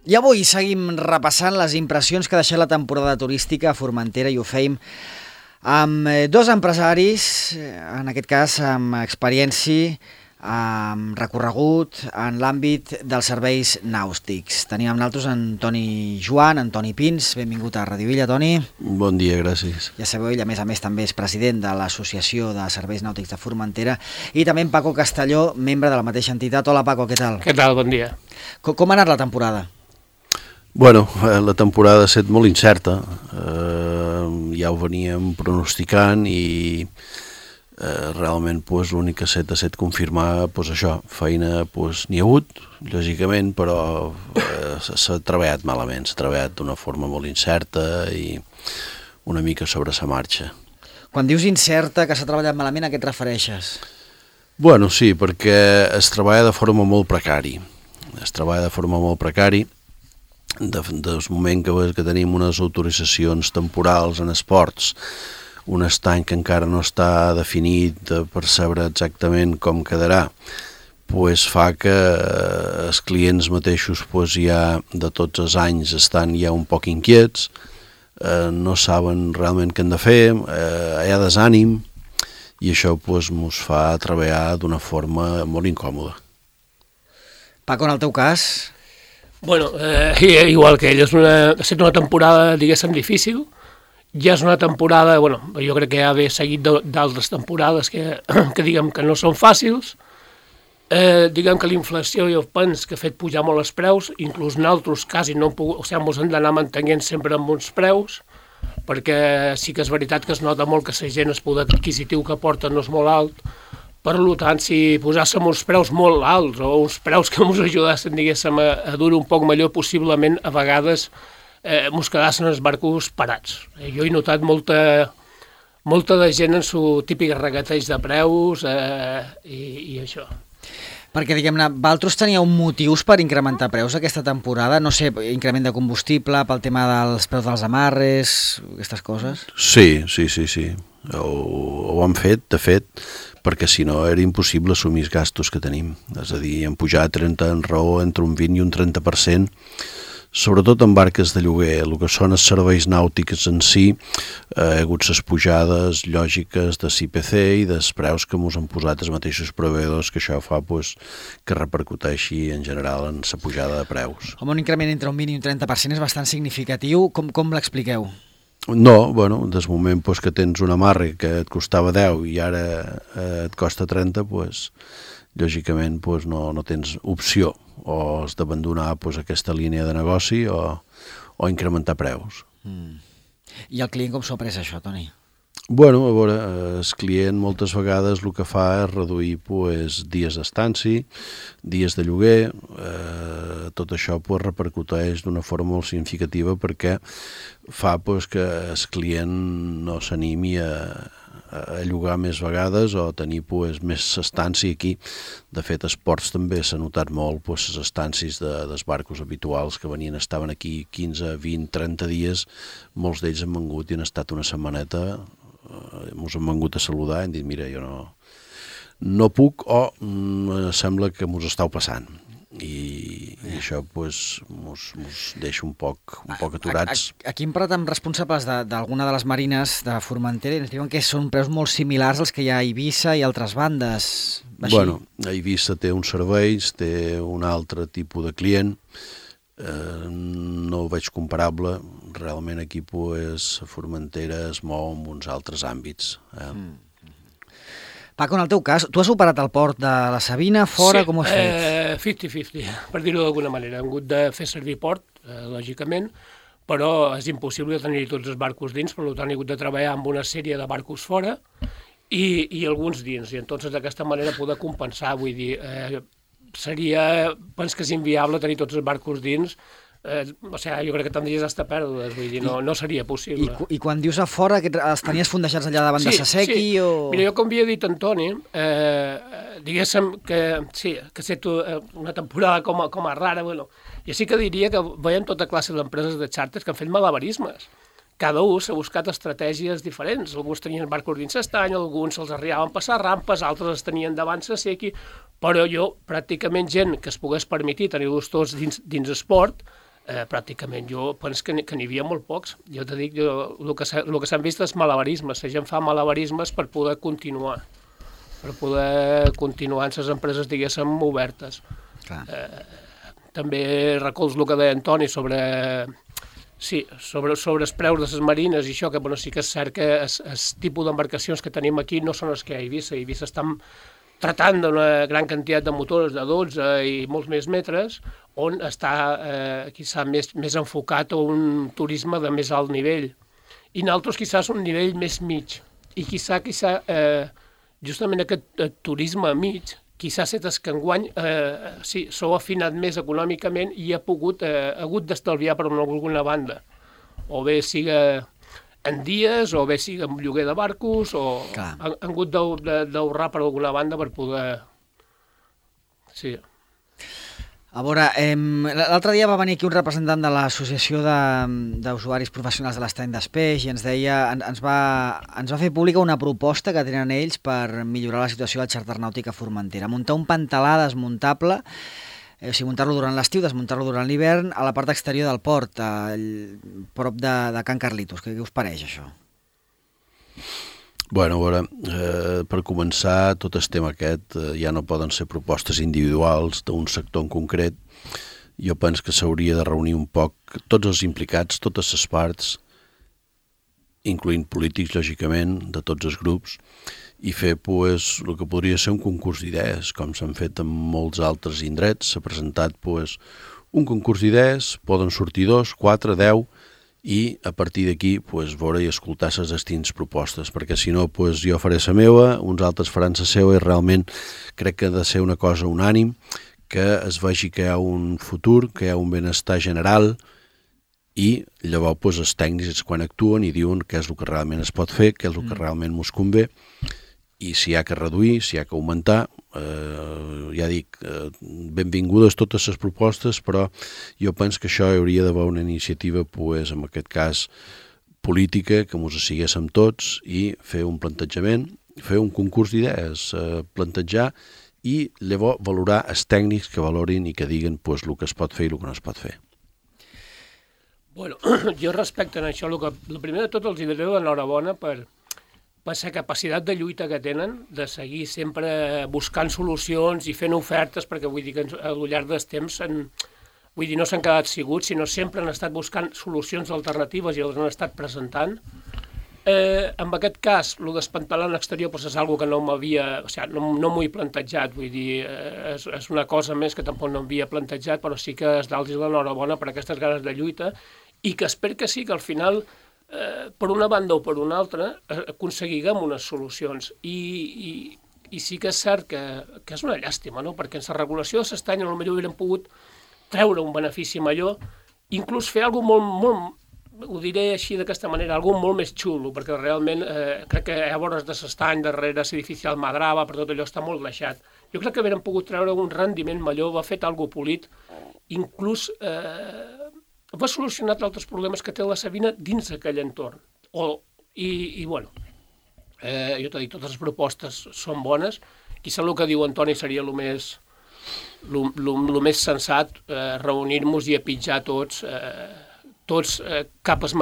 I avui seguim repassant les impressions que ha deixat la temporada turística a Formentera i ho fem amb dos empresaris, en aquest cas amb experiència, amb recorregut en l'àmbit dels serveis nàutics. Tenim amb nosaltres Antoni Joan, Antoni Pins, benvingut a Radio Illa, Toni. Bon dia, gràcies. Ja sabeu, ell a més també és president de l'Associació de Serveis Nàutics de Formentera, i també en Paco Castelló, membre de la mateixa entitat. Hola Paco, què tal? Què tal, bon dia. Com ha anat la temporada? Bueno, la temporada ha estat molt incerta, ja ho veníem pronosticant i realment l'únic que ha estat confirmar això, feina n'hi ha hagut, lògicament, però s'ha treballat malament, s'ha treballat d'una forma molt incerta i una mica sobre sa marxa. Quan dius incerta, que s'ha treballat malament, a què et refereixes? Bueno, sí, perquè es treballa de forma molt precària. Del moment que tenim unes autoritzacions temporals en esports, un estany que encara no està definit per saber exactament com quedarà, fa que els clients mateixos ja de tots els anys estan ja un poc inquiets, no saben realment què han de fer, hi ha desànim, i això ens fa treballar d'una forma molt incòmoda. Paco, en el teu cas? Bueno, igual que ell, ha estat una temporada, diguéssim, difícil. Ja és una temporada, jo crec que ja ve seguit d'altres temporades que diguem que no són fàcils. Diguem que la inflació i el pens que ha fet pujar molt els preus, inclús nosaltres quasi no hem pogut, ens hem d'anar mantenint sempre amb uns preus, perquè sí que és veritat que es nota molt que la gent, el poder adquisitiu que porta no és molt alt. Per tant, si posàssim uns preus molt alts o uns preus que ens ajudassin, diguéssim, a dur un poc millor, possiblement, a vegades ens quedassin els barcos parats. Jo he notat molta de gent en su típic regateig de preus i això. Perquè, diguem-ne, vosaltres teníeu motius per incrementar preus aquesta temporada? No sé, increment de combustible, pel tema dels preus dels amarres, aquestes coses? Sí. Ho hem fet, de fet, perquè si no era impossible assumir els gastos que tenim. És a dir, hem pujat en raó entre un 20 i un 30%, sobretot en barques de lloguer. El que són els serveis nàutics en si, hi ha hagut les pujades lògiques de l'IPC i dels preus que ens han posat els mateixos proveïdors, que això fa que repercuteixi en general en la pujada de preus. Home, un increment entre un 20 i un 30% és bastant significatiu. Com l'expliqueu? No, des moment que tens un amarre que et costava 10 i ara et costa 30, lògicament no tens opció, o has d'abandonar aquesta línia de negoci o incrementar preus. I el client com s'ho ha pres això, Toni? A veure, el client moltes vegades el que fa és reduir dies d'estància, dies de lloguer, tot això repercuteix d'una forma molt significativa perquè fa que el client no s'animi a llogar més vegades o tenir més estància aquí. De fet, als ports també s'ha notat molt les estàncies dels barcos habituals que estaven aquí 15, 20, 30 dies, molts d'ells han vengut i han estat una setmaneta, ens han vengut a saludar i han dit, mira, jo no puc o sembla que m'ho estàu passant. I això ens deixa un poc aturats. Aquí hem parlat amb responsables d'alguna de les marines de Formentera i ens diuen que són preus molt similars als que hi ha a Eivissa i altres bandes. Bueno, Eivissa té uns serveis, té un altre tipus de client, no ho veig comparable. Realment aquí Formentera es mou en uns altres àmbits. Paco, en el teu cas, tu has operat al port de la Sabina, fora, com ho has fet? 50-50, per dir-ho d'alguna manera. Hem hagut de fer servir port, lògicament, però és impossible tenir tots els barcos dins, per tant he hagut de treballar amb una sèrie de barcos fora i alguns dins, i entonces d'aquesta manera poder compensar, vull dir, penso que és inviable tenir tots els barcos dins. Jo crec que tindries hasta pèrdues, vull dir, no seria possible. I quan dius a fora, els tenies fondejats allà davant de Sasequi? Sí. Mira, jo com havia dit Antoni, diguéssim que sí, que ha estat una temporada com a rara, jo sí que diria que veiem tota classe d'empreses de xàrters que han fet malabarismes. Cada un s'ha buscat estratègies diferents. Alguns tenien barcos dins l'estany, alguns se'ls arribaven a passar rampes, altres els tenien davant Sasequi, però pràcticament gent que es pogués permetir tenir-los tots dins esport, pràcticament. Jo penso que n'hi havia molt pocs. Jo te dic, el que s'han vist és malabarismes. La gent fa malabarismes per poder continuar en les empreses, diguéssim, obertes. També recolzo el que deia Antoni sobre els preus de les marines i això, que sí que és cert que el tipus d'embarcacions que tenim aquí no són els que hi ha a Eivissa. A Eivissa estan tratant d'una gran quantitat de motors de 12 i molts més metres, on està quizà més enfocat a un turisme de més alt nivell. I nosaltres quizás un nivell més mig. I quizà justament aquest turisme mig, quizà és que enguany s'ho ha afinat més econòmicament i ha hagut d'estalviar per alguna banda. O bé siga en dies, o bé siga en lloguer de barcos, o han hagut d'ahorrar per alguna banda per poder... Sí. A veure, l'altre dia va venir aquí un representant de l'Associació d'Usuaris Professionals de l'Estany d'Espeix i ens deia, ens va fer pública una proposta que tenen ells per millorar la situació del xàrter nàutic a Formentera. Muntar un pantalà desmuntable, o sigui, muntar-lo durant l'estiu, desmuntar-lo durant l'hivern, a la part exterior del port, prop de Can Carlitos. Què us pareix, això? Bueno, a veure, per començar, tot el tema aquest ja no poden ser propostes individuals d'un sector en concret. Jo penso que s'hauria de reunir un poc tots els implicats, totes les parts, incloent polítics, lògicament, de tots els grups, i fer el que podria ser un concurs d'idees, com s'han fet en molts altres indrets. S'ha presentat un concurs d'idees, poden sortir 2, 4, 10, i a partir d'aquí veure i escoltar les distintes propostes, perquè si no jo faré la meva, uns altres faran la seva, i realment crec que ha de ser una cosa unànim, que es vegi que hi ha un futur, que hi ha un benestar general, i llavors els tècnics quan actuen i diuen què és el que realment es pot fer, què és el que realment ens convé, i si hi ha que reduir, si hi ha que augmentar. Ja dic, benvingudes totes les propostes, però jo penso que això hauria d'haver una iniciativa, en aquest cas política, que ens assiguéssim tots i fer un plantejament, fer un concurs d'idees, plantejar i llavors valorar els tècnics que valorin i que diguen el que es pot fer i el que no es pot fer. Bueno, jo respecte a això, el primer de tot els diré l'enhorabona per la capacitat de lluita que tenen, de seguir sempre buscant solucions i fent ofertes, perquè vull dir que al llarg del temps no s'han quedat ciguts, sinó sempre han estat buscant solucions alternatives i les han estat presentant. En aquest cas, el d'espantalant exterior és una que no m'ho he plantejat, vull dir, és una cosa més que tampoc no m'havia plantejat, però sí que és d'alts l'enhorabona per aquestes ganes de lluita i que espero que sí, que al final per una banda o per una altra aconseguiguem unes solucions i sí que és cert que és una llàstima, no? Perquè en la regulació de l'estany potser hauríem pogut treure un benefici major, inclús fer alguna cosa molt, ho diré així d'aquesta manera, alguna molt més xulo, perquè realment crec que a vores de l'estany, darrere l'edifici Almadrava, per tot allò està molt deixat. Jo crec que hauríem pogut treure un rendiment major, va fet alguna cosa polit, inclús va solucionar altres problemes que té la Sabina dins d'aquell entorn. Jo t'he dit, totes les propostes són bones, quizà el que diu Antoni seria el més sensat, reunir-nos i a pitjar tots cap a la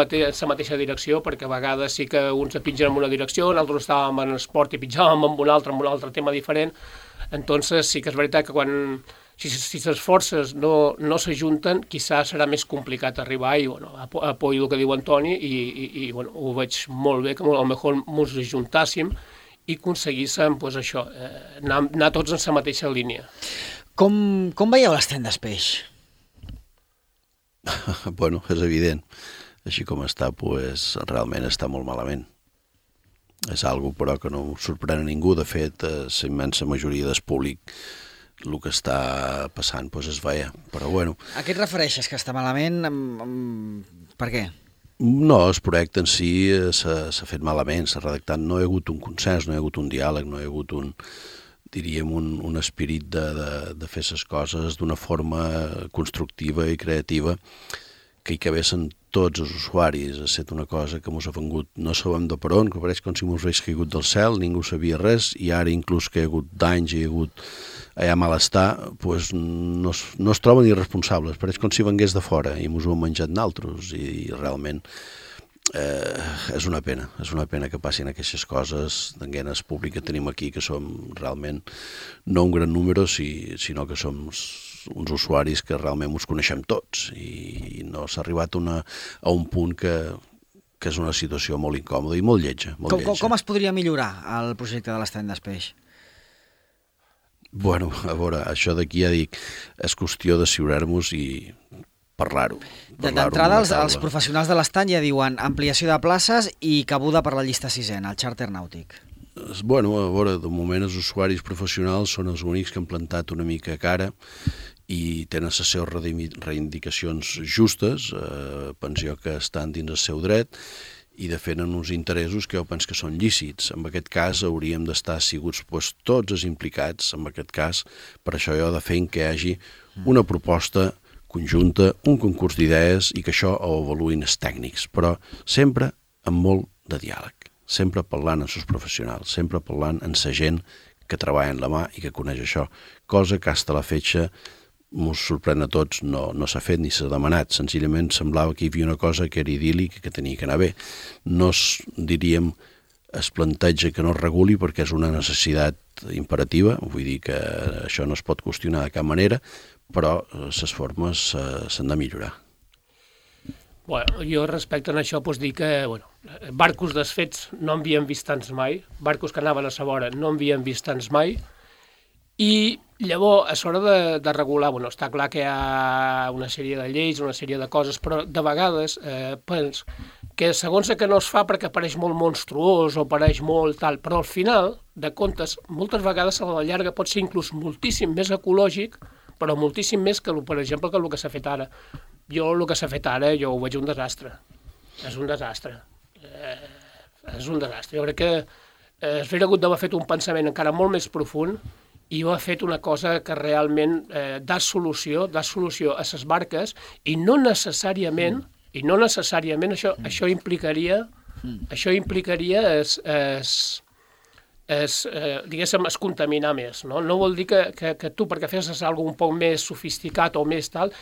mateixa direcció, perquè a vegades sí que uns pitgen en una direcció, nosaltres estàvem en esport i pitjàvem en un altre tema diferent. Entonces sí que és veritat que si les forces no s'ajunten, quizás serà més complicat arribar i apoyo el que diu Antoni i ho veig molt bé, que potser ens ajuntàssim i aconseguíssim això, anar tots en la mateixa línia. Com veieu l'Estany d'Espeix? Bueno, és evident. Així com està, realment està molt malament. És algo, però, que no sorprèn a ningú. De fet, la immensa majoria del públic el que està passant es veia, però bueno. A què et refereixes, que està malament? Per què? No, el projecte en si s'ha fet malament, s'ha redactat, no hi ha hagut un consens, no hi ha hagut un diàleg, no hi ha hagut un esperit de fer les coses d'una forma constructiva i creativa que hi cabessin tots els usuaris. Ha estat una cosa que ens ha vengut, no sabem de per on, que pareix com si ens hagués caigut del cel, ningú sabia res, i ara inclús que hi ha hagut danys, hi ha hagut malestar, doncs no es troben irresponsables, pareix com si vengués de fora i ens ho hem menjat naltros, i realment és una pena que passin aquestes coses d'enguenes públiques que tenim aquí, que som realment no un gran número, sinó que som uns usuaris que realment ens coneixem tots, i no s'ha arribat a un punt que és una situació molt incòmoda i molt lletja. Com es podria millorar el projecte de l'estany d'Espeix? Bueno, a veure, això d'aquí ja dic, és qüestió d'assegurar-nos i parlar-ho. D'entrada, els professionals de l'estany ja diuen ampliació de places i cabuda per la llista sisena, el xàrter nàutic. Bueno, a veure, de moment els usuaris professionals són els únics que han plantat una mica cara i tenen les seves reivindicacions justes, penso que estan dins el seu dret, i defenen uns interessos que jo penso que són lícits. En aquest cas hauríem d'estar assiguts tots els implicats, en aquest cas, per això jo defenc que hi hagi una proposta conjunta, un concurs d'idees i que això ho avaluïn els tècnics, però sempre amb molt de diàleg, sempre parlant amb els professionals, sempre parlant amb la gent que treballa en la mà i que coneix això, cosa que fins a la fetge ens sorprèn a tots, no s'ha fet ni s'ha demanat, senzillament semblava que hi havia una cosa que era idíl·lic i que tenia que anar bé. No diríem es planteja que no es reguli perquè és una necessitat imperativa, vull dir que això no es pot qüestionar de cap manera, però les formes s'han de millorar. Bueno, jo respecte a això pues dir que barcos desfets no en havíem vist tants mai, barcos que anaven a sa vora no en havíem vist tants mai, i llavors, a l'hora de regular, està clar que hi ha una sèrie de lleis, una sèrie de coses, però de vegades penso que segons que no es fa perquè pareix molt monstruós o pareix molt tal, però al final, de comptes, moltes vegades a la llarga pot ser inclús moltíssim més ecològic, però moltíssim més que, per exemple, que el que s'ha fet ara. El que s'ha fet ara, jo ho veig un desastre. És un desastre. Jo crec que s'hauria hagut d'haver fet un pensament encara molt més profund i ho ha fet una cosa que realment dà solució a les barques i no necessàriament això implicaria diguéssim, es contaminar més. No vol dir que tu, perquè fessis alguna un poc més sofisticat o més tal,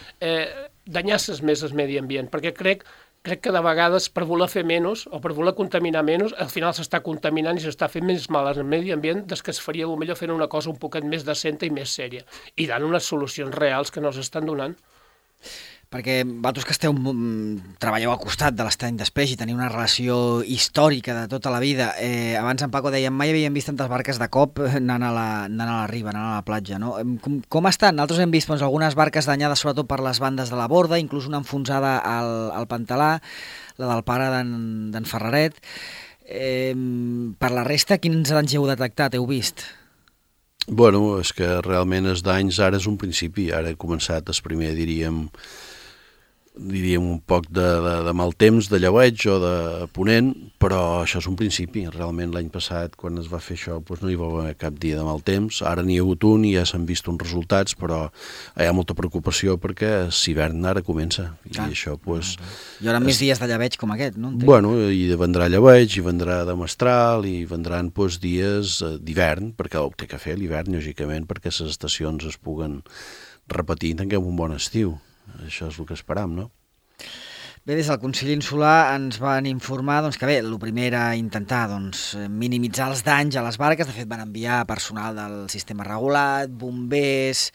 danyasses més el medi ambient, perquè crec que de vegades per voler fer menys o per voler contaminar menys, al final s'està contaminant i s'està fent més mal al medi ambient des que es faria millor fent una cosa un poquet més decenta i més sèria i dant unes solucions reals que no s'estan donant. Perquè vosaltres que treballeu al costat de l'estany d'Espeix i teniu una relació històrica de tota la vida, abans en Paco deia mai havíem vist tantes barques de cop anant a la riba, anant a la platja, no? Com estan? Nosaltres hem vist algunes barques danyades sobretot per les bandes de la borda, inclús una enfonsada al Pantalà, la del pare d'en Ferraret. Per la resta, quins danys heu detectat, heu vist? Bueno, és que realment els danys ara és un principi, ara he començat el primer, diríem un poc de mal temps, de lleueig o de ponent, però això és un principi. Realment l'any passat, quan es va fer això, no hi va haver cap dia de mal temps. Ara n'hi ha hagut un i ja s'han vist uns resultats, però hi ha molta preocupació perquè l'hivern ara comença. I això, hi haurà més dies de lleueig com aquest, no? Bueno, i vendrà lleueig, i vendrà de mestral, i vendran dies d'hivern, perquè ho té que fer l'hivern, lògicament, perquè les estacions es puguen repetir i tinguem un bon estiu. Això és el que esperam, no? Bé, des del Consell Insular ens van informar que bé, el primer era intentar minimitzar els danys a les barques. De fet, van enviar personal del sistema regulat, bombers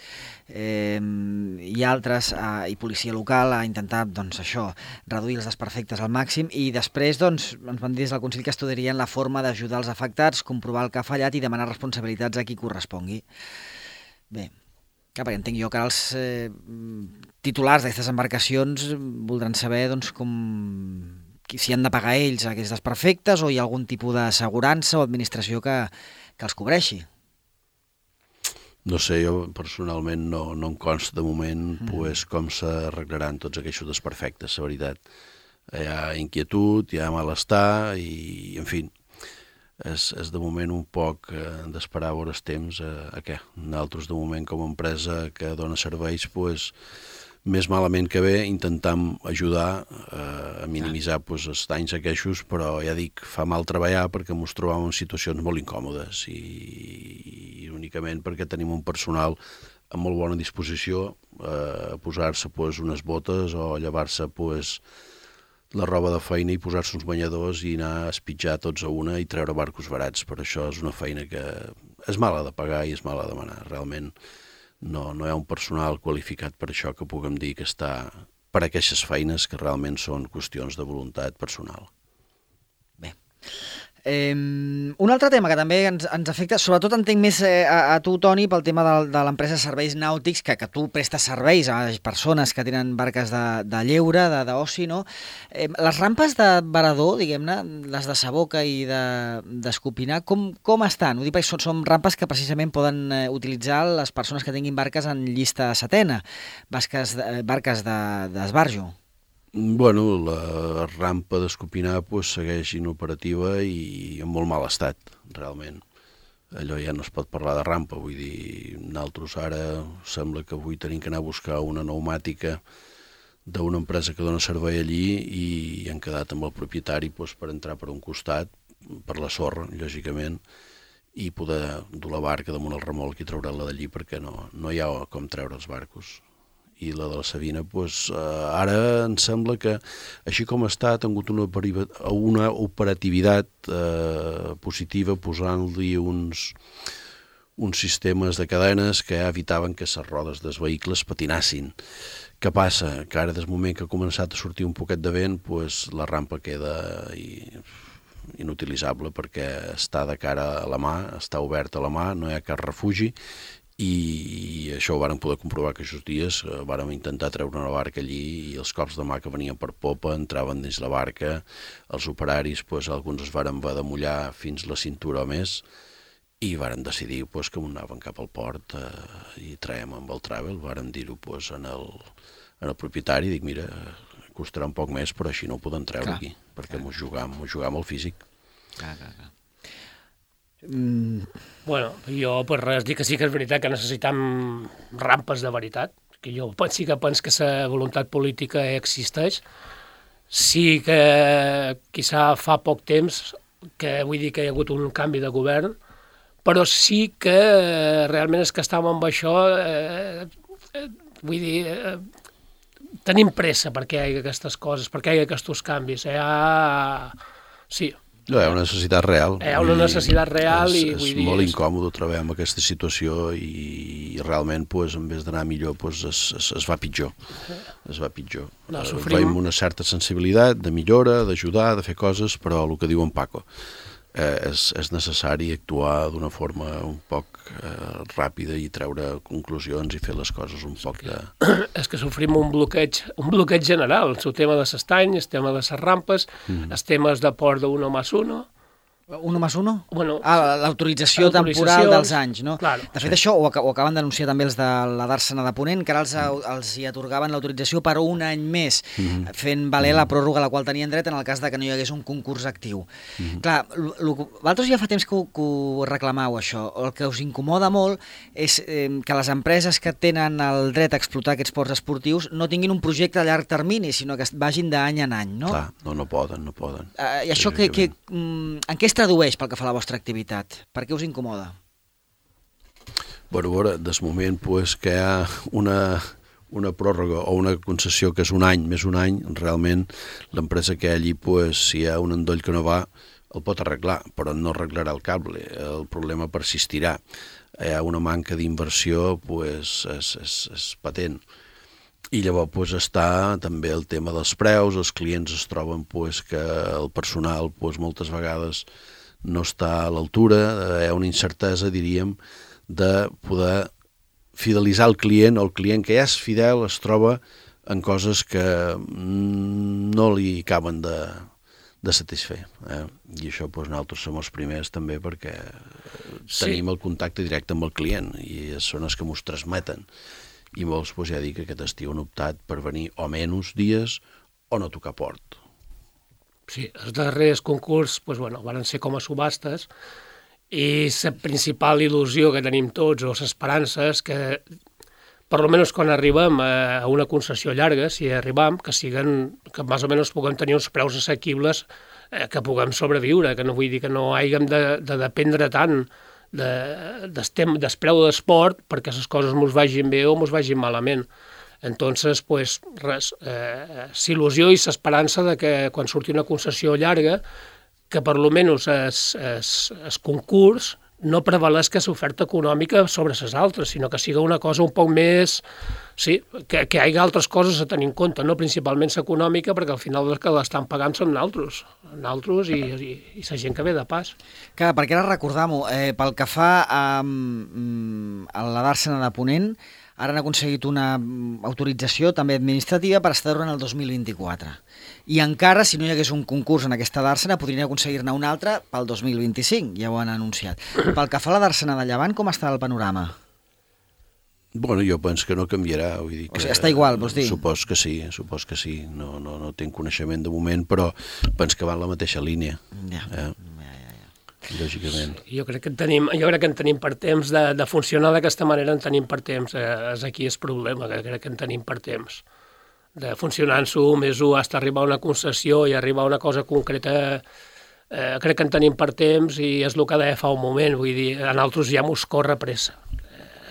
i altres, i policia local, a intentar això, reduir els desperfectes al màxim, i després ens van dir des del Consell que estudiarien la forma d'ajudar els afectats, comprovar el que ha fallat i demanar responsabilitats a qui correspongui. Bé, perquè entenc jo que els titulars d'aquestes embarcacions voldran saber si han de pagar ells aquests desperfectes o hi ha algun tipus d'assegurança o administració que els cobreixi. No sé, jo personalment no em consta de moment com s'arreglaran tots aquests desperfectes, la veritat. Hi ha inquietud, hi ha malestar i, en fi, és de moment un poc d'esperar a veure el temps a què. Nosaltres, de moment, com a empresa que dona serveis, més malament que bé, intentam ajudar a minimitzar els danys aqueixos, però ja dic, fa mal treballar perquè ens trobàvem en situacions molt incòmodes i únicament perquè tenim un personal amb molt bona disposició a posar-se unes botes o a llevar-se la roba de feina i posar-se uns banyadors i anar a espitjar tots a una i treure barcos barats. Per això és una feina que és mala de pagar i és mala de demanar. Realment no hi ha un personal qualificat per això que puguem dir que està per a aquestes feines que realment són qüestions de voluntat personal. Bé. Un altre tema que també ens afecta, sobretot entenc més a tu, Toni, pel tema de l'empresa de serveis nàutics, que tu prestes serveis a persones que tenen barques de lleure, d'oci, no? Les rampes de varador, diguem-ne, les de Saboca i d'Escopinar, com estan? Ho dic perquè són rampes que precisament poden utilitzar les persones que tinguin barques en llista setena, barques d'esbarjo. Bueno, la rampa d'Escopinar segueix inoperativa i en molt mal estat, realment. Allò ja no es pot parlar de rampa, vull dir, nosaltres ara sembla que avui tenim que anar a buscar una pneumàtica d'una empresa que dona servei allí i han quedat amb el propietari per entrar per un costat, per la sorra, lògicament, i poder dur la barca damunt el remolc i treure-la d'allí perquè no hi ha com treure els barcos. I la de la Sabina, ara em sembla que, així com està, ha tingut una operativitat positiva posant-li uns sistemes de cadenes que evitaven que les rodes dels vehicles patinassin. Què passa? Que ara, des del moment que ha començat a sortir un poquet de vent, la rampa queda inutilitzable perquè està de cara a la mà, està oberta a la mà, no hi ha cap refugi, i això ho vàrem poder comprovar aquests dies. Vàrem intentar treure una barca allí i els cops de mà que venien per popa entraven dins la barca, els operaris, alguns es varen haver de mullar fins la cintura o més i vàrem decidir que anaven cap al port i traiem amb el Travel, vàrem dir-ho en el propietari, dic, mira, costarà un poc més, però així no ho podem treure aquí, perquè mos jugam el físic. Clar. Bueno, jo per res dic que sí que és veritat que necessitam rampes de veritat, que jo sí que penso que la voluntat política existeix. Sí que quizà fa poc temps que vull dir que hi ha hagut un canvi de govern, però sí que realment és que estàvem amb això, vull dir, tenim pressa perquè hi hagi aquestes coses, perquè hi hagi aquests canvis. Sí. No, hi ha una necessitat real. Hi ha una necessitat real i vull dir... És molt incòmode treballar amb aquesta situació i realment, en vez d'anar millor, es va pitjor. Es va pitjor. Veiem una certa sensibilitat de millora, d'ajudar, de fer coses, però el que diu en Paco, és necessari actuar d'una forma un poc ràpida i treure conclusions i fer les coses un poc de... És que sofrim un bloqueig general, el tema de l'estany, el tema de les rampes, els temes de port de 1+1. 1+1? Bueno, l'autorització temporal dels anys, no? Claro. De fet, això ho acaben d'anunciar també els de la Dàrsena de Ponent, que ara els hi atorgaven l'autorització per un any més, fent valer la pròrroga a la qual tenien dret en el cas de que no hi hagués un concurs actiu. Clar, vosaltres ja fa temps que ho reclamau, això. El que us incomoda molt és que les empreses que tenen el dret a explotar aquests ports esportius no tinguin un projecte a llarg termini, sinó que vagin d'any en any, no? Clar, no poden. I això en què es tradueix pel que fa a la vostra activitat? Per què us incomoda? Bueno, a veure, des moment que hi ha una pròrroga o una concessió que és un any, més un any, realment l'empresa que hi ha allí, si hi ha un endoll que no va, el pot arreglar, però no arreglarà el cable, el problema persistirà. Hi ha una manca d'inversió, és patent. I llavors està també el tema dels preus, els clients es troben que el personal moltes vegades no està a l'altura, hi ha una incertesa, diríem, de poder fidelitzar el client, o el client que ja és fidel es troba en coses que no li acaben de satisfer. I això nosaltres som els primers també perquè tenim el contacte directe amb el client i són els que ens transmeten. I molts, ja dic, que aquest estiu han optat per venir o menys dies o no tocar port. Sí, els darrers concurs van ser com a subhastes i la principal il·lusió que tenim tots, o l'esperança, és que per almenys quan arribem a una concessió llarga, si arribam, que més o menys puguem tenir uns preus assequibles que puguem sobreviure, que no vull dir que no hàgim de dependre tant del preu d'esport perquè les coses mos vagin bé o mos vagin malament. Entonces, pues, res, s'il·lusió i l'esperança de que quan surti una concessió llarga, que per almenys el concurs no prevaleix que l'oferta econòmica sobre les altres, sinó que sigui una cosa un poc més... Sí, que hi hagi altres coses a tenir en compte, no principalment l'econòmica, perquè al final els que l'estan pagant són naltros i la gent que ve de pas. Clar, perquè ara recordam-ho, pel que fa a la Dàrsena de Ponent, ara han aconseguit una autorització també administrativa per estar durant el 2024. I encara, si no hi hagués un concurs en aquesta Dàrsena, podrien aconseguir-ne un altre pel 2025, ja ho han anunciat. Pel que fa a la Dàrsena de Llevant, com està el panorama? Bueno, jo penso que no canviarà. Vull dir que, o sigui, està igual, vols dir? Supos que sí. No tinc coneixement de moment, però penso que va en la mateixa línia. Ja. Lògicament. Jo crec que en tenim per temps de funcionar d'aquesta manera, en tenim per temps. És aquí el problema, que crec que en tenim per temps. De funcionant-s'ho, més hasta arribar a una concessió i arribar a una cosa concreta, crec que en tenim per temps i és el que deia fa un moment, vull dir, a nosaltres ja mos corre pressa.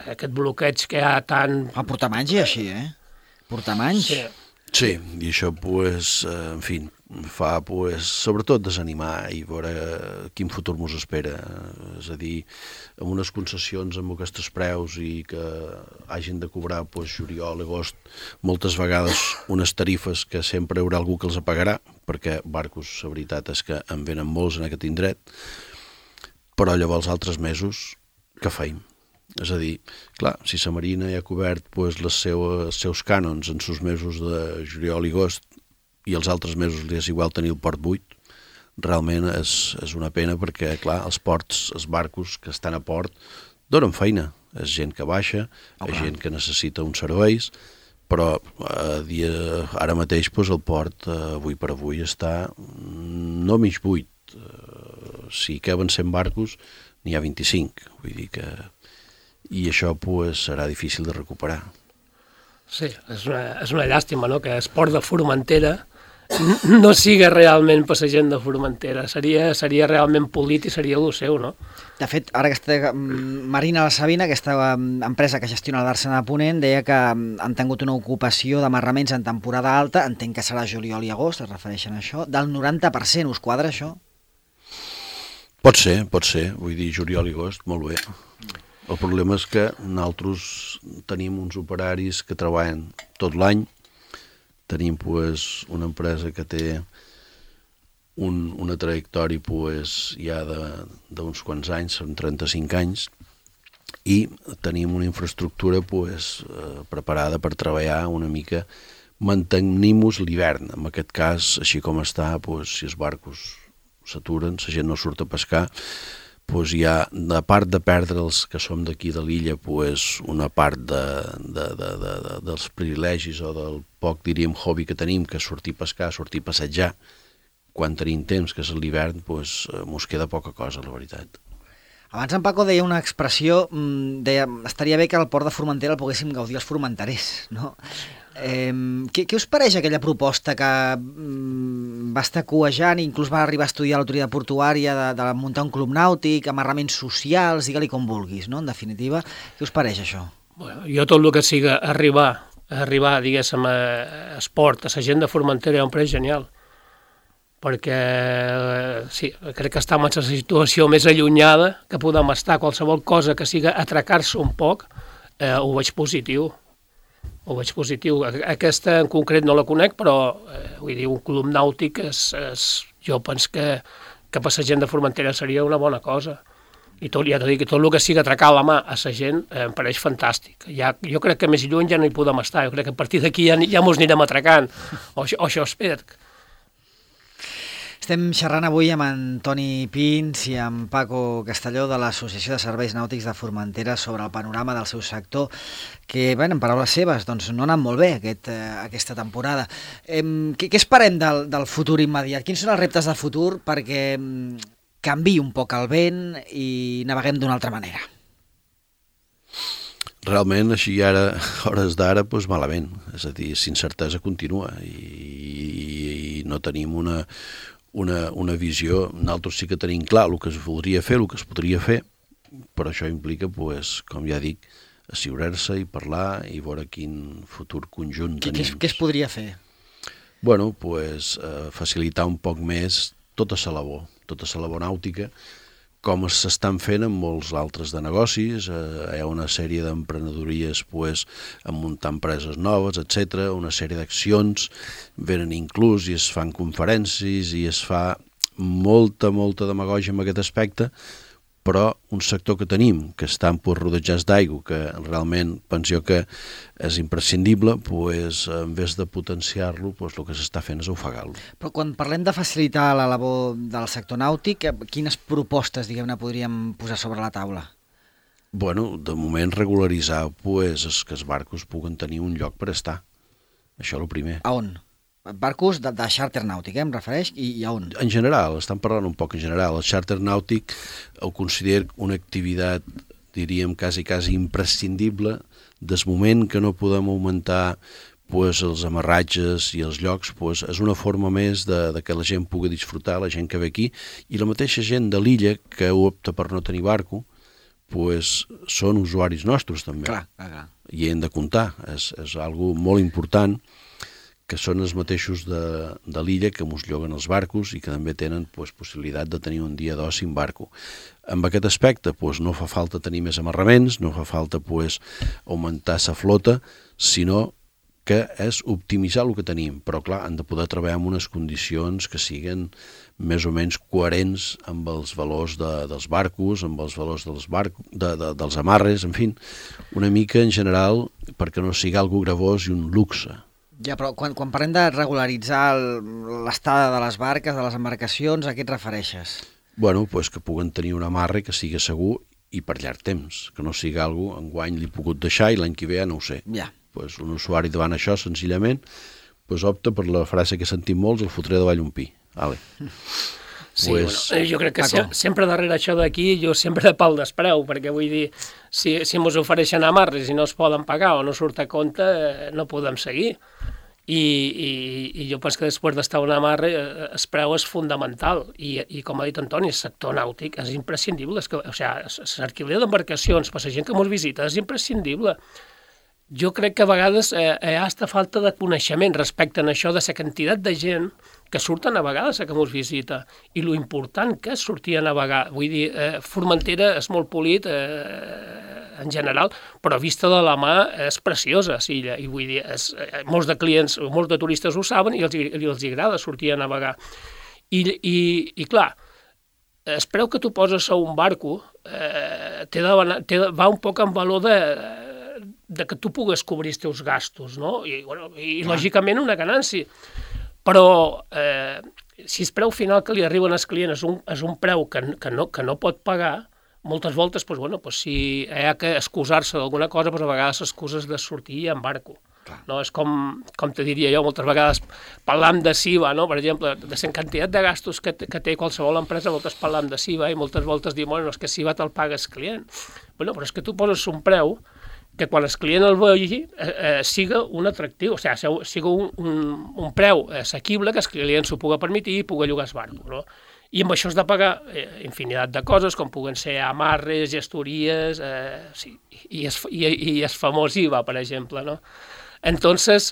Aquest bloqueig que hi ha tant... Portar anys i així, Portar anys? Sí, i això, pues, en fi, fa, pues, sobretot desanimar i veure quin futur mos espera. És a dir, amb unes concessions amb aquests preus i que hagin de cobrar, pues, juliol, agost, moltes vegades unes tarifes que sempre hi haurà algú que els pagarà, perquè barcos, la veritat és que en venen molts en aquest indret, però llavors altres mesos, què feim? És a dir, clar, si la Marina ja ha cobert pues, els seus cànons en els mesos de juliol i agost i els altres mesos li és igual tenir el port buit, realment és una pena perquè, clar, els ports, els barcos que estan a port donen feina. És gent que baixa, és gent que necessita uns serveis, però ara mateix pues, el port, avui per avui, està no mig buit. Si caben 100 barcos, n'hi ha 25. Vull dir que... I això pues, serà difícil de recuperar. Sí, és una llàstima, no?, que el port de Formentera no siga realment per la gent de Formentera. Seria realment polit i seria el seu, no? De fet, ara aquesta Marina La Sabina, aquesta empresa que gestiona la Dàrsena de Ponent, deia que han tingut una ocupació d'amarraments en temporada alta, entenc que serà juliol i agost, es refereixen a això, del 90%. Us quadra això? Pot ser. Vull dir, juliol i agost, molt bé. El problema és que nosaltres tenim uns operaris que treballen tot l'any, tenim pues, una empresa que té una trajectòria pues, ja d'uns quants anys, són 35 anys, i tenim una infraestructura pues, preparada per treballar una mica, mantenim-nos l'hivern. En aquest cas, així com està, pues, si els barcos s'aturen, la gent no surt a pescar, pues hi ha, a part de perdre els que som d'aquí de l'illa, pues una part dels privilegis o del poc, diríem, hobby que tenim, que és sortir a pescar, sortir a passejar, quan tenim temps, que és l'hivern, pues mos queda poca cosa, la veritat. Abans en Paco deia una expressió, deia, estaria bé que al port de Formentera el poguéssim gaudir els formenterers, no? Què us pareix aquella proposta que va estar cuejant i inclús va arribar a estudiar l'autoritat portuària de muntar un club nàutic, amarraments socials, digue-li com vulguis, no? En definitiva, què us pareix això? Bueno, jo tot el que siga arribar, diguéssim, a esport, a la gent de Formentera, em pareix genial. Perquè, sí, crec que estem en la situació més allunyada que podem estar. Qualsevol cosa que siga atracar-se un poc, ho veig positiu. Aquesta en concret no la conec, però vull dir, un club nàutic jo penso que per la gent de Formentera seria una bona cosa. I tot, ja t'ho dic, tot el que siga atracar la mà a la gent em pareix fantàstic. Jo crec que més lluny ja no hi podem estar, jo crec que a partir d'aquí ja mos anirem atracant, o això espero. Estem xerrant avui amb en Toni Pins i amb Paco Castelló de l'Associació de Serveis Nàutics de Formentera sobre el panorama del seu sector, que, bé, en paraules seves, doncs no ha anat molt bé aquesta temporada. Què esperem del futur immediat? Quins són els reptes de futur perquè canviï un poc el vent i naveguem d'una altra manera? realment, així ara, a hores d'ara, doncs malament. És a dir, incertesa continua i no tenim una visió. Nosaltres sí que tenim clar el que es voldria fer, el que es podria fer, però això implica, doncs, com ja dic, asseurar-se i parlar i veure quin futur conjunt tenim. Què es podria fer? Bueno, doncs, facilitar un poc més tota la labor nàutica, com s'estan fent en molts altres de negocis. Hi ha una sèrie d'emprenedories en muntar empreses noves, etc. Una sèrie d'accions venen inclús i es fan conferències i es fa molta demagògia en aquest aspecte, però un sector que tenim, que estan rodejats d'aigua, que realment penso que és imprescindible, en vez de potenciar-lo, el que s'està fent és ofegar-lo. Però quan parlem de facilitar la labor del sector nàutic, quines propostes, diguem-ne, podríem posar sobre la taula? Bueno, de moment regularitzar que els barcos puguen tenir un lloc per estar. Això és el primer. A on? Barcos de xàrter nàutic, em refereix, i a on? En general, estan parlant un poc en general. El xàrter nàutic ho considero una activitat, diríem, quasi imprescindible. Des moment que no podem augmentar els amarratges i els llocs, és una forma més de que la gent pugui disfrutar, la gent que ve aquí, i la mateixa gent de l'illa que opta per no tenir barco, són usuaris nostres també. Clar. I hem de comptar, és algo molt important, que són els mateixos de l'illa que mos lloguen els barcos i que també tenen possibilitat de tenir un dia d'oci en barco. En aquest aspecte no fa falta tenir més amarraments, no fa falta augmentar la flota, sinó que és optimitzar el que tenim, però clar, han de poder treballar en unes condicions que siguin més o menys coherents amb els valors dels barcos, amb els valors dels amarres, en fi, una mica en general perquè no sigui algo gravós i un luxe. Ja, però quan parlem de regularitzar l'estada de les barques, de les embarcacions, a què et refereixes? Bueno, que puguen tenir un amarre que sigui segur i per llarg temps, que no sigui algo enguany l'he pogut deixar i l'any que ve ja no ho sé. Ja. Un usuari davant això, senzillament, opta per la frase que sentim molts, el fotré davall un pi. Vale. Sí, jo crec que sempre darrere això d'aquí, jo sempre de pal d'espreu, perquè vull dir, si ens ofereixen amarres i no es poden pagar o no surt a compte, no podem seguir. I jo penso que després d'estar un amarre, el preu és fundamental. I com ha dit Antoni, el sector nàutic és imprescindible. L'alquiler d'embarcacions per la gent que ens visita és imprescindible. Jo crec que a vegades hi ha aquesta falta de coneixement respecte a això de la quantitat de gent que surten a vegades a que ens visita i lo important que és sortir a navegar. Vull dir, Formentera és molt polit en general, però vista de la mà és preciosa, l'illa, i vull dir, molts de clients, molts de turistes ho saben i els agrada sortir a navegar. I clar, el preu que tu poses a un barco va un poc en valor de que tu pugues cobrir els teus gastos, no? I lògicament una ganància. Però si el preu final que li arriben als clients és un preu que no pot pagar, moltes voltes, si hi ha que excusar-se d'alguna cosa, a vegades excuses de sortir en barco. No? És com te diria jo, moltes vegades parlam de SIVA, no? Per exemple, de la quantitat de gastos que té qualsevol empresa, moltes parlam de SIVA i moltes voltes diuen, bueno, és que SIVA te'l paga el client. Bueno, però és que tu poses un preu que quan el client el vegi siga un atractiu, siga un preu assequible que el client s'ho pugui permetir i pugui llogar el barco, no? I amb això has de pagar infinitat de coses, com puguen ser amarres, gestories, i el famós IVA, per exemple, no? Entonces,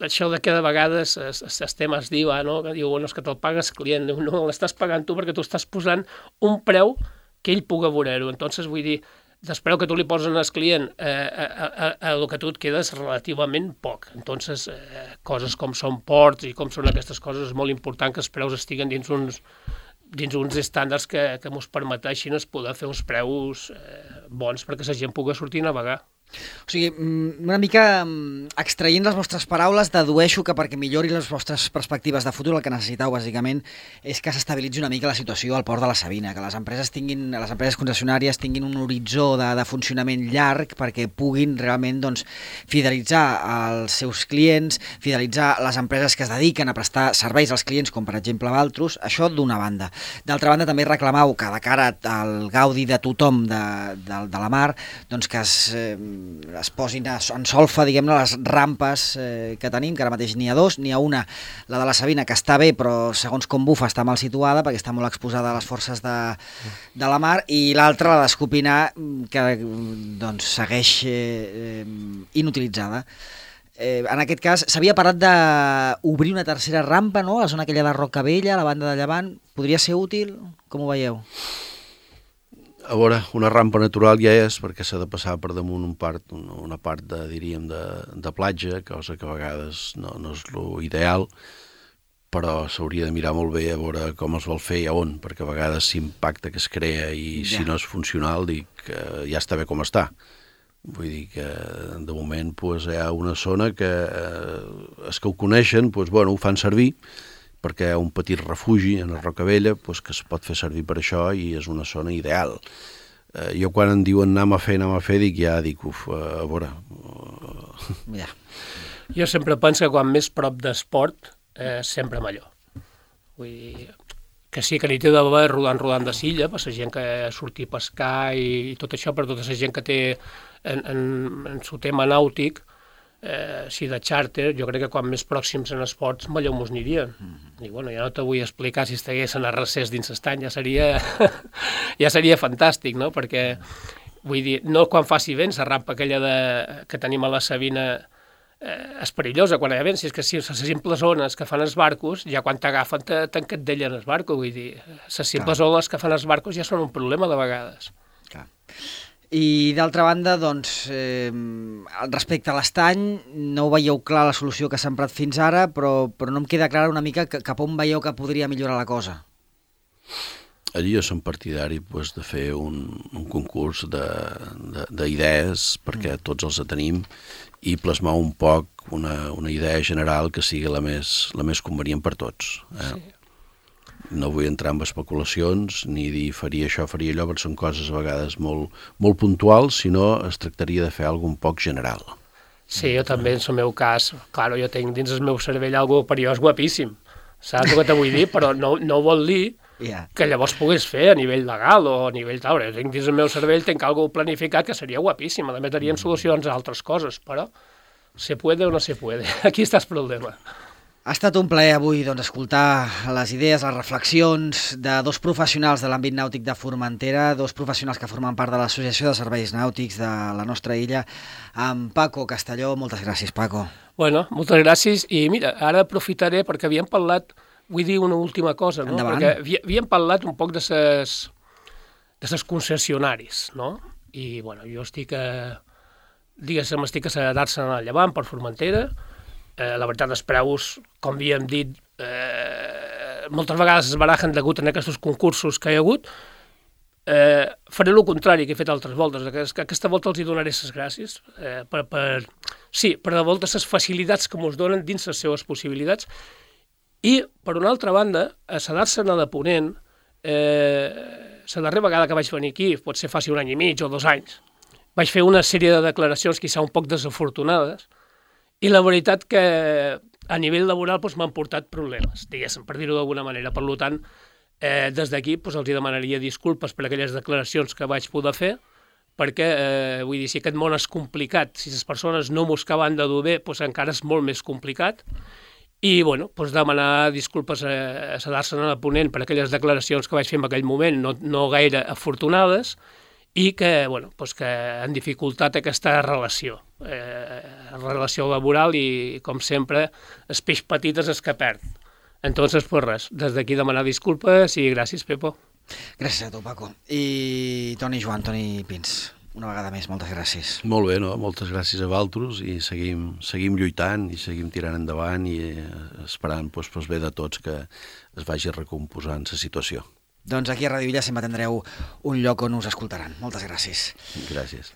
això de que de vegades els temes d'IVA, no? Que diu, bueno, és que te'l paga el client, no l'estàs pagant tu perquè tu estàs posant un preu que ell pugui veure-ho. Entonces, vull dir, després que tu li poses al client el que tu et queda és relativament poc. Entonces, coses com són ports i com són aquestes coses, és molt important que els preus estiguen dins uns estàndards que ens permeteixin poder fer uns preus bons perquè la gent pugui sortir a navegar. O sigui, una mica extraient les vostres paraules, dedueixo que perquè millori les vostres perspectives de futur el que necessiteu, bàsicament, és que s'estabilitzi una mica la situació al port de la Savina, que les empreses concessionàries tinguin un horitzó de funcionament llarg perquè puguin realment doncs, fidelitzar els seus clients, fidelitzar les empreses que es dediquen a prestar serveis als clients, com per exemple Valtros, això d'una banda. D'altra banda, també reclamau que de cara al gaudi de tothom de la mar, doncs que es posin en solfa, diguem-ne, les rampes que tenim, que ara mateix n'hi ha dos, n'hi ha una, la de la Savina, que està bé, però segons com bufa està mal situada, perquè està molt exposada a les forces de la mar, i l'altra, la d'Escopinar, que doncs, segueix inutilitzada. En aquest cas, s'havia parlat d'obrir una tercera rampa, no?, a la zona aquella de Rocavella, a la banda de Llevant. Podria ser útil? Com ho veieu? A veure, una rampa natural ja és, perquè s'ha de passar per damunt una part de platja, cosa que a vegades no és l'ideal, però s'hauria de mirar molt bé a veure com es vol fer i a on, perquè a vegades l'impacte que es crea i si no és funcional, dic ja està bé com està. Vull dir que de moment hi ha una zona que els que ho coneixen ho fan servir, perquè hi ha un petit refugi en la Rocavella que es pot fer servir per això i és una zona ideal. Jo quan em diuen anem a fer, dic, a veure... Ja. Jo sempre penso que quan més prop d'esport, sempre millor. Vull dir, que sí que n'hi té d'haver rodant de silla, per la gent que surti a pescar i tot això, per tota la gent que té en el tema nàutic, si de xàrter, jo crec que quan més pròxims en esports, millor mos anirien. I bueno, ja no te vull explicar si estiguessin a recés dins l'estany, ja seria fantàstic, no? Perquè, vull dir, no quan faci vent, la rampa aquella que tenim a la Savina és perillosa quan hi ha vent, si és que si les simples ones que fan els barcos, ja quan t'agafen t'encadellen el barco, vull dir, les simples ones que fan els barcos ja són un problema de vegades. Clar. I d'altra banda, doncs, respecte a l'estany, no ho veieu clar la solució que s'ha emprat fins ara, però no em queda clara una mica cap on veieu que podria millorar la cosa. Allí jo som partidari de fer un concurs d'idees, perquè tots els tenim, i plasmar un poc una idea general que sigui la més convenient per tots. Sí. No vull entrar en especulacions ni dir faria això, faria allò, perquè són coses a vegades molt puntuals, sinó es tractaria de fer alguna cosa un poc general. Sí, jo també, en el meu cas, clar, jo tinc dins el meu cervell algo perillós guapíssim, saps el que te vull dir? Però no vol dir que llavors puguis fer a nivell legal o a nivell tal. Jo tinc dins el meu cervell, tinc algo planificat que seria guapíssim, a més teníem solucions a altres coses, però se puede o no se puede, aquí està el problema. Ha estat un plaer avui escoltar les idees, les reflexions de dos professionals de l'àmbit nàutic de Formentera, dos professionals que formen part de l'Associació de Serveis Nàutics de la nostra illa, amb Paco Castelló. Moltes gràcies, Paco. Bueno, moltes gràcies, i mira, ara aprofitaré perquè havíem parlat, vull dir una última cosa, no? Endavant. Perquè havíem parlat un poc de ses concessionaris, no? I, bueno, jo estic a Darsen al Llevant per Formentera. La veritat, els preus, com havíem dit, moltes vegades es barajen degut a aquests concursos que hi ha hagut. Faré el contrari que he fet altres voltes. Aquesta volta els hi donaré les gràcies per de volta les facilitats que ens donen dins les seves possibilitats. I, per una altra banda, a Darsen de Ponent, la darrera vegada que vaig venir aquí, pot ser fa un any i mig o 2 anys, vaig fer una sèrie de declaracions quizà un poc desafortunades, i la veritat que a nivell laboral m'han portat problemes, diguéssim, per dir-ho d'alguna manera. Per tant, des d'aquí els demanaria disculpes per aquelles declaracions que vaig poder fer, perquè, vull dir, si aquest món és complicat, si les persones no m'ho acaben de dur bé, encara és molt més complicat. I, bueno, demanar disculpes a Darsen de Ponent per aquelles declaracions que vaig fer en aquell moment, no gaire afortunades, i que han dificultat aquesta relació laboral i, com sempre, el peix petit és el que perd. Entonces, res, des d'aquí demanar disculpes i gràcies, Pepo. Gràcies a tu, Paco. I Toni Pins, una vegada més, moltes gràcies. Molt bé, no? Moltes gràcies a Valtros i seguim lluitant i seguim tirant endavant i esperant pel bé de tots que es vagi recomposant la situació. Doncs aquí a Ràdio Illa sempre tindreu un lloc on us escoltaran. Moltes gràcies. Gràcies.